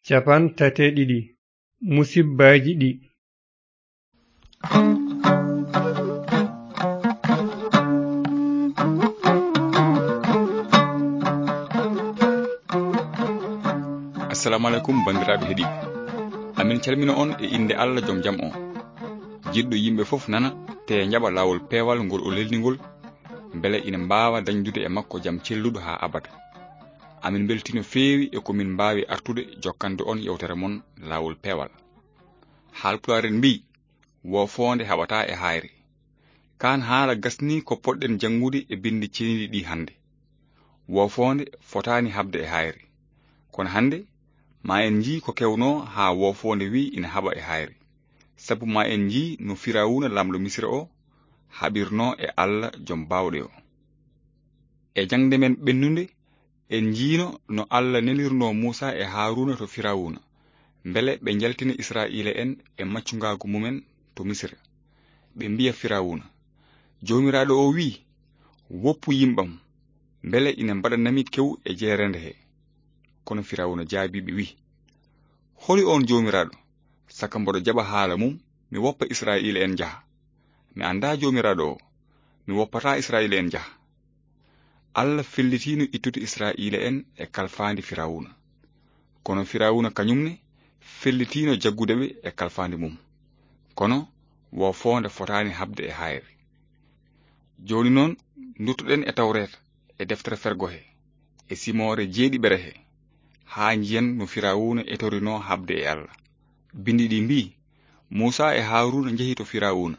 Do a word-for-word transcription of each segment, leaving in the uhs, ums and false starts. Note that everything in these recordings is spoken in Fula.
Cappantate ɗiɗi. Musibbaaji ɗi. Assalamu alaikum, banndiraaɓe heɗiiɓe. Amin calmina on e innde Allah jom jam on. Jiɗɗo yimɓe fof nana, te njaɓa laawol peewal ngol o lelni ngol, mbele ina mbaawa dañdude e makko jam celluɗo haa abada. Amin mbeltii no feewi e ko min mbaawi artude jokkande on yewtere mon laawol peewal. Haalpulaar en mbii, "Woofoonde haɓataa e haayre." Kaan haala gasnii ko poɗɗen janngude e binndi ceniiɗi ɗi hannde. Woofoonde fotaani haɓde e haayre. Kono hannde, ma en njii ko kewnoo haa woofoonde wii ina haɓa e haayre. Sabu ma en njii no Firawuna, laamɗo Misira o, haɓirnoo e Allah jom baawɗe o. E jaŋde men ɓennunde, en njiino no Allah nelirnoo Muusa e Haaruuna to Firawuna, mbele ɓe njaltina Israa'iila en e maccungaagu mumen to Misira. Ɓe mbiya Firawuna, "Joomiraaɗo o wii, 'Woppu yimɓam, mbele ina mbaɗanami kewu e jeereende he.'" Kono Firawuna jaabii ɓe wii, "Holi on Joomiraaɗo, saka mboɗo jaɓa haala mum, mi woppa Israa'iila en njaha? Mi anndaa Joomiraaɗo o, mi woppataa Israa'iila en njaha." Allah fellitiino ittude Israa'iila en e kalfaandi Firawuna. Kono Firawuna kañum ne fellitiino jaggude ɓe e kalfaandi mum. Kono woofoonde fotaani haɓde e haayre. Jooni noon, nduttoɗen e Tawreeta, e deftere fergo he, e simoore jeeɗiɓere he, haa njiyen no Firawuna etorinoo haɓde e Allah. Binndi ɗi mbii, "Muusa e Haaruuna njehi to Firawuna.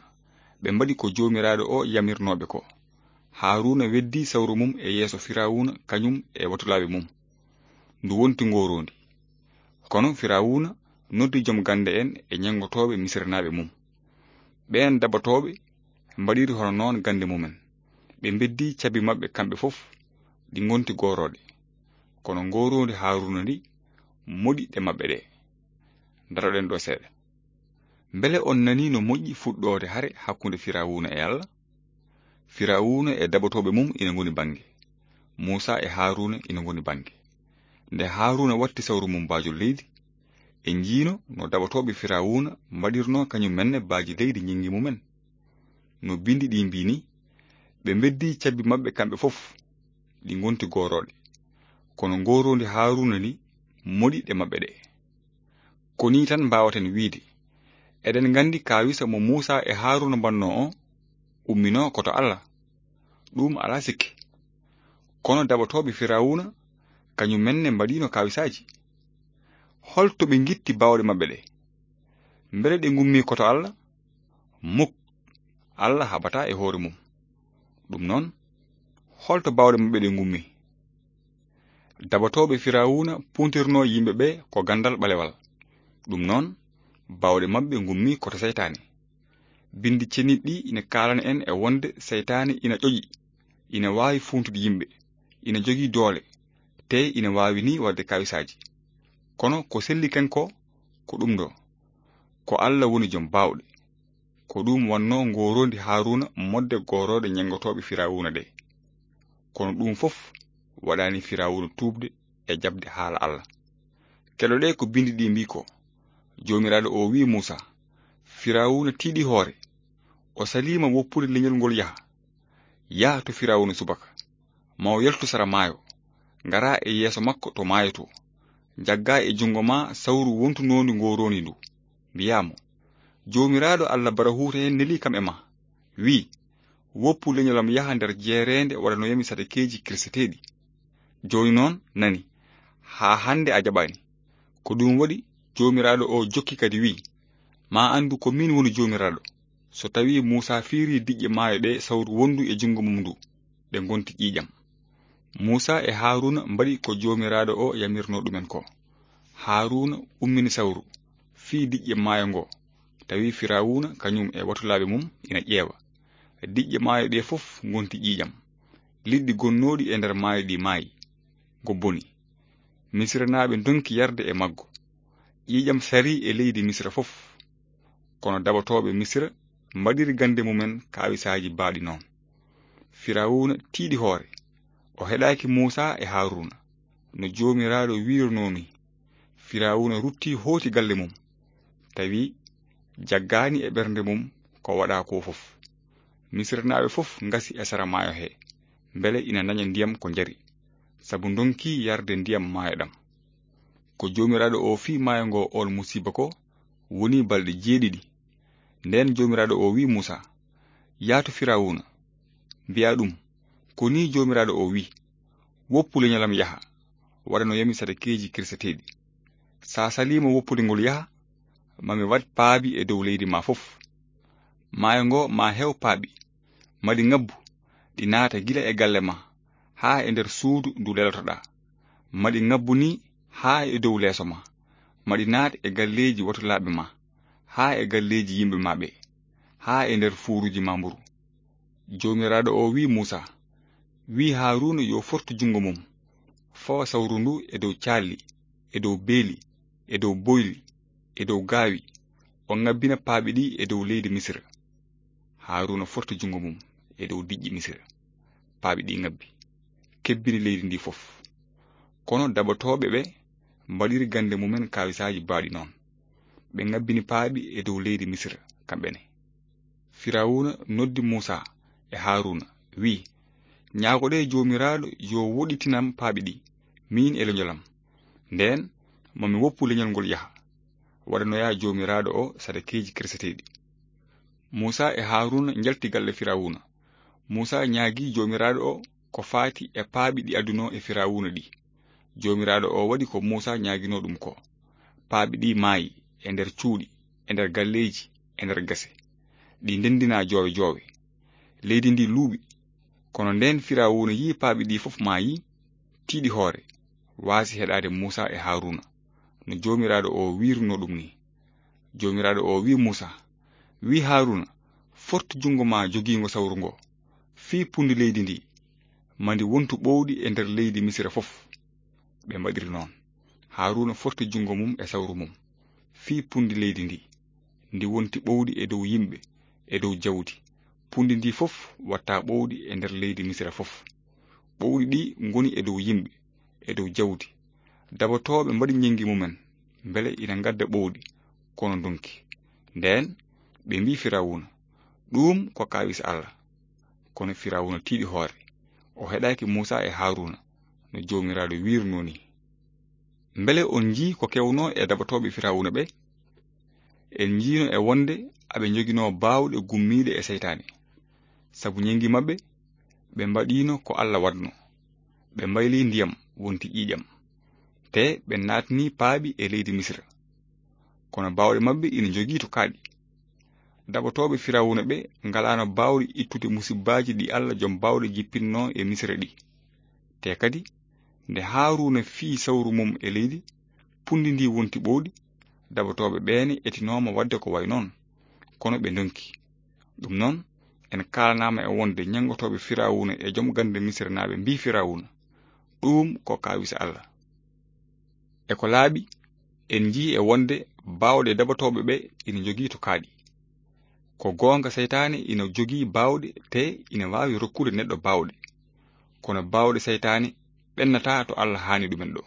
Ɓe mbaɗi ko Joomiraaɗo o yamirnoo ɓe ko." Haaruuna weddii sawru mum e yeeso Firawuna, kañum e watulaaɓe mum. Ndu wonti ngooroondi. Kono Firawuna noddi jom gannde en e ñenngotooɓe Misiranaaɓe mum. Ɓeen dabatooɓe mbaɗiri hono noon gannde mumen. Ɓe mbeddii cabbi maɓɓe kamɓe fof, ɗi ngonti goorooɗe. Kono ngooroondi Haaruuna ndi moɗi ɗe maɓɓe ɗe. Ndaroɗen ɗo seeɗa. Mbele on nanii no moƴƴi fuɗɗoode hare hakkunde Firawuna e Allah? Firawuna e dabatooɓe mum ina ngoni bannge. Muusa e Haaruuna ina ngoni bannge. Nde Haaruuna watti sawru mum baajol leydi, en njiino no dabatooɓe Firawuna mbaɗirnoo kañum menne baaji leydi ñinngi mumen. No binndi ɗi mbii ni, ɓe mbeddii cabbi maɓɓe kamɓe fof, ɗi ngonti goorooɗe. Kono ngooroondi Haaruuna ndi moɗi ɗe maɓɓe ɗe. Ko nii tan mbaawaten wiyde, eɗen nganndi kaawisa mo Muusa e Haaruuna mbaɗnoo o, umminoo ko to Allah. Ɗum alaa sikke. Kono daɓotooɓe Firawuna, kañum men ne mbaɗiino kaawisaaji. Hol to ɓe ngitti baawɗe maɓɓe ɗe? Mbele ɗe ngummii ko to Allah? Muk, Allah haɓataa e hoore mum. Ɗum noon, hol to baawɗe maɓɓe ɗe ngummii? Daɓotooɓe Firawuna puntirnoo yimɓe ɓe ko ganndal ɓalewal. Ɗum noon, baawɗe maɓɓe ngummii ko to seytaane. Binndi ceniiɗi ɗi ina kaalana en e wonde seytaane ina ƴoƴi, ina waawi fuuntude yimɓe, ina jogii doole, te ina waawi ni waɗde kaawisaaji. Kono ko selli ken ko, ko ɗum ɗo. Ko Allah woni jom baawɗe. Ko ɗum wannoo ngooroondi Haaruuna modde goorooɗe ñenngotooɓe Firawuna ɗe. Kono ɗum fof waɗaani Firawuna tuubde e jaɓde haala Allah. Keɗoɗee ko binndi ɗi mbii ko, Joomiraaɗo o wii Muusa, Firawuna tiiɗi hoore, o saliima woppude leñol ngol yaha. Yaha to Firawuna subaka, ma o yaltu sara maayo, ngaraa e yeeso makko to maayo to, njaggaa e junngo ma sawru wontunoondi ngooroondi ndu, mbiyaa mo, Joomiraaɗo Allah Barahuuta en nelii kam e ma, wii, woppu leñolam yaha nder jeereende waɗanoyami sadakeeji kirseteeɗi. Jooni noon nani, haa hannde a jaɓaani. Ko ɗum waɗi Joomiraaɗo o jokki kadi wii, ma anndu ko min woni Joomiraaɗo. So tawii Muusa fiirii diƴƴe maayo ɗe sawru wondu e junngo mum ndu, ɗe ngonti ƴiiƴam. Muusa e Haaruuna mbaɗi ko Joomiraaɗo o yamirnoo ɗumen ko. Haaruuna ummini sawru, fii diƴƴe maayo ngo, tawi Firawuna kañum e watulaaɓe mum ina ƴeewa. Diƴƴe maayo ɗe fof ngonti ƴiiƴam. Liɗɗi gonnooɗi e nder maayo ɗi maayi, ngo boni. Misiranaaɓe ndonki yarde e maggo. Ƴiiƴam sarii e leydi Misira fof. Kono daɓotooɓe Misira mbaɗiri gannde mumen kaawisaaji baaɗi noon. Firawuna tiiɗi hoore. O heɗaaki Muusa e Haaruuna, no Joomiraaɗo wiirnoo nii. Firawuna rutti hooti galle mum, tawi jaggaani e ɓernde mum ko waɗaa ko fof. Misirnaaɓe fof ngasi e sara maayo he, mbele ina naña ndiyam ko njari, sabu ndonki yarde ndiyam maayo ɗam. Ko Joomiraaɗo o fii maayo ngo oon musiba ko woni balɗe jeeɗiɗi. Ndeen Joomiraaɗo o wii Muusaa, "Yaa to Firawuna, mbi'aa ɗum, ko nii Joomiraaɗo o wii, 'Woppu leñolam yaha, waɗanoyami sadakeeji kirseteeɗi. So a saliima woppude ngol yaha, ma mi waɗ paabi e dow leydi ma fof. Maayo ngo ma heew paabi, ma ɗi ngabbu, ɗi naata gila e galle ma haa e nder suudu ndu lelotoɗaa. Ma ɗi ngabbu nii haa e dow leeso ma. Ma ɗi naat e galleeji watulaaɓe ma, haa e galleeji yimɓe ma ɓe, haa e nder fuuruuji ma mburu.'" Joomiraaɗo o wii Muusaa, wii Haaruuna yo fortu junngo mum, fawa sawru ndu e dow caalli, e dow beeli, e dow boyli, e dow gaawi, o ngabbina paaɓi ɗi e dow leydi Misira. Haaruuna forti junngo mum e dow diƴƴe Misira. Paaɓi ɗi ngabbi, kebbini leydi ndi fof. Kono daɓotooɓe ɓe mbaɗiri gannde mumen kaawisaaji baawɗi noon. Ɓe ngabbini paaɓi e dow leydi Misira, kamɓe ne. Firawuna noddi Muusaa e Haaruuna, wii, "Ñaagoɗee Joomiraaɗo yo woɗɗitinam paaɓi ɗi, miin e leñolam. Ndeen, ma mi woppu leñol ngol yaha, waɗanoyaa Joomiraaɗo o sadakeeji kirseteeɗi." Muusaa e Haaruuna njalti galle Firawuna. Muusaa ñaagii Joomiraaɗo o ko faati e paaɓi ɗi adunoo e Firawuna ɗi. Joomiraaɗo o waɗi ko Muusaa ñaaginoo ɗum ko. Paaɓi ɗi maayi e nder cuuɗi, e nder galleeji, e nder gese. Ɗi ndendinaa joowe joowe. Leydi ndi luuɓi. Kono ndeen Firawuna yii paaɓi ɗi fof maayi, tiiɗi hoore, waasi heɗaade Muusaa e Haaruuna, no Joomiraaɗo o wiirunoo ɗum ni. Joomiraaɗo o wii Muusaa, wii Haaruuna, "Fortu junngo ma jogiingo sawru ngo, fii punndi leydi ndi, ma ndi wontu ɓowɗi e nder leydi Misira fof." Ɓe mbaɗiri noon. Haaruuna forti junngo mum e sawru mum, fii punndi leydi ndi, ndi wonti ɓowɗi e dow yimɓe, e dow jawdi. Punndi ndi fof watta ɓowɗi e nder leydi Misira fof. Ɓowɗi ɗi ngoni e dow yimɓe, e dow jawdi. Daɓotooɓe mbaɗi ñenngi mumen, mbele ina ngadda ɓowɗi, kono ndonki. Ndeen, ɓe mbii Firawuna, "Ɗuum ko kaawis Alla." Kono Firawuna tiiɗi hoore. O heɗaaki Muusaa e Haaruuna, no Joomiraaɗo wiirnoo ni. Mbele on njii ko kewnoo e daɓotooɓe Firawuna ɓe? En njiino e wonde aɓe njoginoo baawɗe gummiiɗe e seytaane. Sabu ñenngi maɓɓe, ɓe mbaɗiino ko Alla waɗnoo. Ɓe mbaylii ndiyam wonti ƴiiƴam. Te ɓe naatnii paaɓi e leydi Misira. Kono baawɗe maɓɓe ina njogii to kaaɗi. Daɓotooɓe Firawuna ɓe ngalaano baawɗe ittude musibbaaji ɗi Alla Jom Baawɗe jippinnoo e Misira ɗi. Te kadi, nde Haaruuna fii sawru mum e leydi, punndi ndi wonti ɓowɗi, daɓotooɓe ɓeene etinooma waɗde ko wayi noon, kono ɓe ndonki. Ɗum noon, en kaalanaama e wonde ñenngotooɓe Firawuna e jom gannde Misiranaaɓe mbii Firawuna, "Ɗuum ko kaawis Alla." E ko laaɓi, en njii e wonde baawɗe daɓotooɓe ɓe ina njogii to kaaɗi. Ko goonga, seytaane ina jogii baawɗe, te ina waawi rokkude neɗɗo baawɗe. Kono baawɗe seytaane ɓennataa to Alla haani ɗumen ɗo.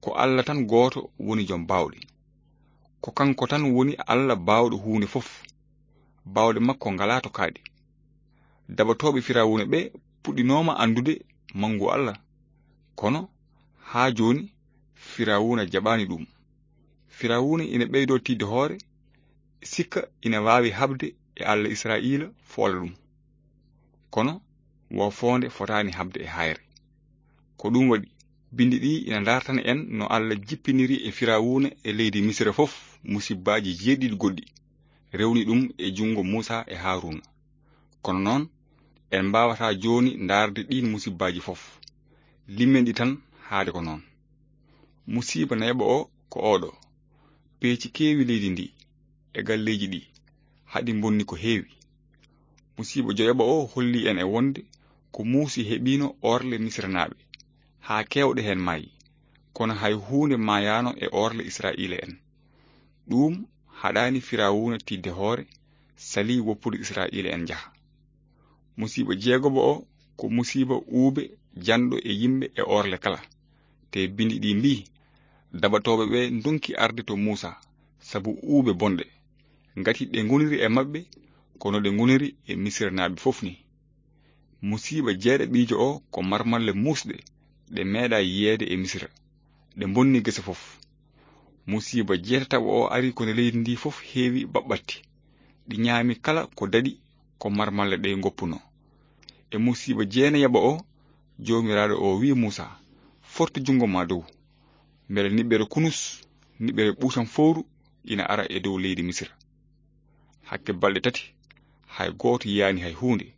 Ko Alla tan gooto woni jom baawɗe. Ko kanko tan woni Alla baawɗo huunde fof. Baawɗe makko ngalaa to kaaɗi. Daɓotooɓe Firawuna ɓe puɗɗinooma anndude manngu Alla. Kono haa jooni Firawuna jaɓaani ɗum. Firawuna ina ɓeydoo tiiɗde hoore, sikka ina waawi haɓde e Alla Israa'iila foola ɗum. Kono wo foonde fotaani haɓde e haayre. Ko ɗum waɗi, binndi ɗi ina ndaartana en no Alla jippiniri e Firawuna e leydi Misira fof musibbaaji jeeɗiɗi goɗɗi, rewni ɗum e junngo Muusaa e Haaruuna. Kono noon, en mbaawataa jooni ndaarde ɗiin musibbaaji fof. Limmen ɗi tan haade ko noon. Musiiba nayaɓo o ko oɗo. Peeci keewi leydi ndi e galleeji ɗi, haɗi mbonni ko heewi. Musiiba joyaɓo o holli en e wonde ko Muusi heɓiino orle Misiranaaɓe, haa keewɗe heen maayi, kono hay huunde maayaano e orle Israa'iila en. Ɗuum haɗaani Firawuna tiiɗde hoore, salii woppude Israa'iila en njaha. Musiiba jeegoɓo o ko musiiba uube janɗo e yimɓe e orle kala. Te binndi ɗi mbii, Dabatooɓe ɓe ndonki arde to Muusa sabu uube bonɗe, ngati ɗe ngoniri e maɓɓe kono ɗe ngoniri e Misiranaaɓe fof ni. Musiiba jeeɗaɓiijo o ko marmalle muusɗe, ɗe meeɗa yiyeede e Misira, ɗe mbonni gese fof. Musiiba jeetataɓo o ari ko nde leydi ndi fof heewi baɓɓatti, ɗi ñaami kala ko daɗi ko marmalle ɗe ngoppuno. E musiiba jeenayaɓo o, Joomiraaɗo o wi'i Muusa, "Fortu junngo ma dow, mbele niɓɓere kunus, niɓɓere ɓuutan fowru ina ara e dow leydi Misira." Hakke balɗe tati, hay gooto yiyaani hay huunde,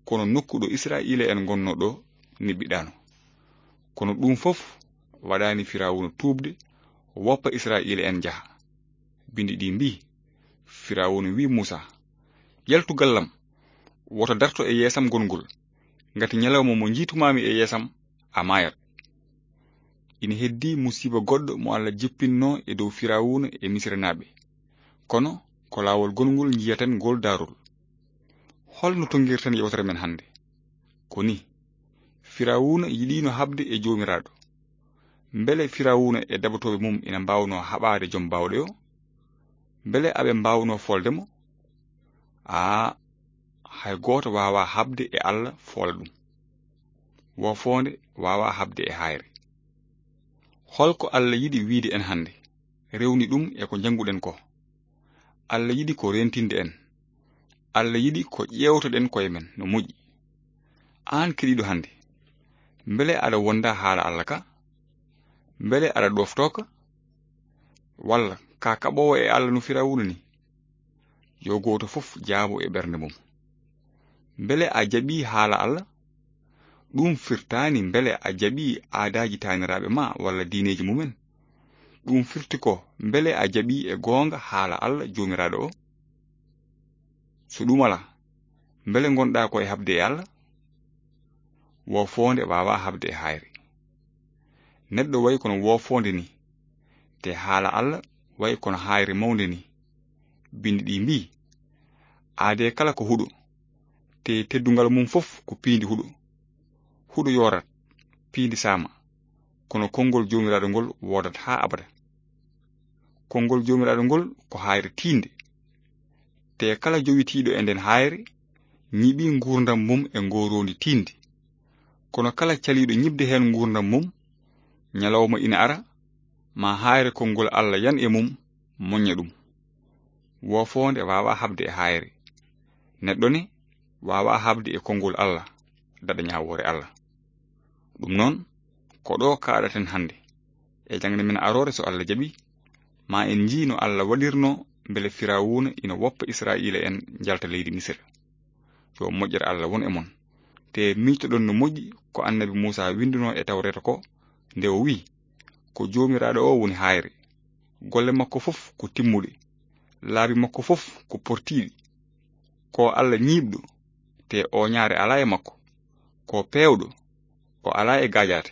kono nokku ɗo Israa'iila'en ngonnoo ɗo niɓɓiɗaano. Kono ɗum fof waɗaani Firawuna tuubde, woppa Israa'iila'en njaha. Binndi ɗi mbii, Firawuna wi'i Muusa, "Yaltu gallam, woto darto e yeesam gongol, ngati ñalawma mo njiitumaami e yeesam, a maayat." Ina heddii musiiba goɗɗo mo Alla jippinnoo e dow Firawuna e Misiranaaɓe. Kono ko laawol gongol njiyaten ngol daarol. Holno tonngirten yewtere men hannde? Ko ni, Firawuna yiɗiino haɓde e Joomiraaɗo. Mbele Firawuna e dabatooɓe mum ina mbaawnoo haɓaade Jom Baawɗe o? Mbele aɓe mbaawnoo foolde mo? Aa, hay gooto waawaa haɓde e Alla foola ɗum. Woofoonde waawaa haɓde e haayre. Holko Alla yiɗi wiide en hannde, rewni ɗum e ko njannguɗen ko? Alla yiɗi ko reentinde en. Alla yiɗi ko ƴeewtoɗen koye men no moƴƴi. Aan keɗiiɗo hannde, mbele aɗa wonda haala Alla ka? Mbele aɗa ɗoftoo ka? Walla ka kaɓoowo e Alla no Firawuna ni? Yo gooto fof jaabo e ɓernde mum. Mbele a jaɓii haala Alla? Ɗum firtaani mbele a jaɓii aadaaji taaniraaɓe ma walla diineeji mumen. Ɗum firti ko mbele a jaɓii e goonga haala Alla Joomiraaɗo o? So ɗum alaa, mbele ngonɗaa ko e haɓde e Alla? Woofoonde waawaa haɓde e haayre. Neɗɗo wayi kono woofoonde ni, te haala Alla wayi kono haayre mawnde ni. Binndi ɗi mbii, "Aadee kala ko huɗo, te teddungal mum fof ko piindi huɗo. Huɗo yoorat, piindi saama, kono konngol Joomiraaɗo ngol woodat haa abada." Konngol Joomiraaɗo ngol ko haayre tiinde. Te kala jowitiiɗo e nden haayre, ñiɓi nguurndam mum e ngooroondi tiinde. Kono kala caliiɗo ñiɓde heen nguurndam mum, ñalawma ina ara, ma haayre konngol Alla yan e mum, moñña ɗum. Woofoonde waawaa haɓde e haayre. Neɗɗo ne waawaa haɓde e konngol Alla, daɗa ñaawoore Alla. Ɗum noon, ko ɗo kaaɗaten hannde. E jaŋde men aroore, so Alla jaɓi, ma en njii no Alla waɗirno mbele Firawuna ina woppa Israa'iila en njalta leydi Misira. Yo moƴƴere Alla won e mon. Te miijtoɗon no moƴƴi ko annabi Muusa winndunoo e Tawreeta ko, nde o wi'i, "Ko Joomiraaɗo o woni haayre. Golle makko fof ko timmuɗe. Laabi makko fof ko portiiɗi. Ko Alla ñiiɓɗo, te ooñaare alaa e makko. Ko peewɗo, o alaa e gaajaate."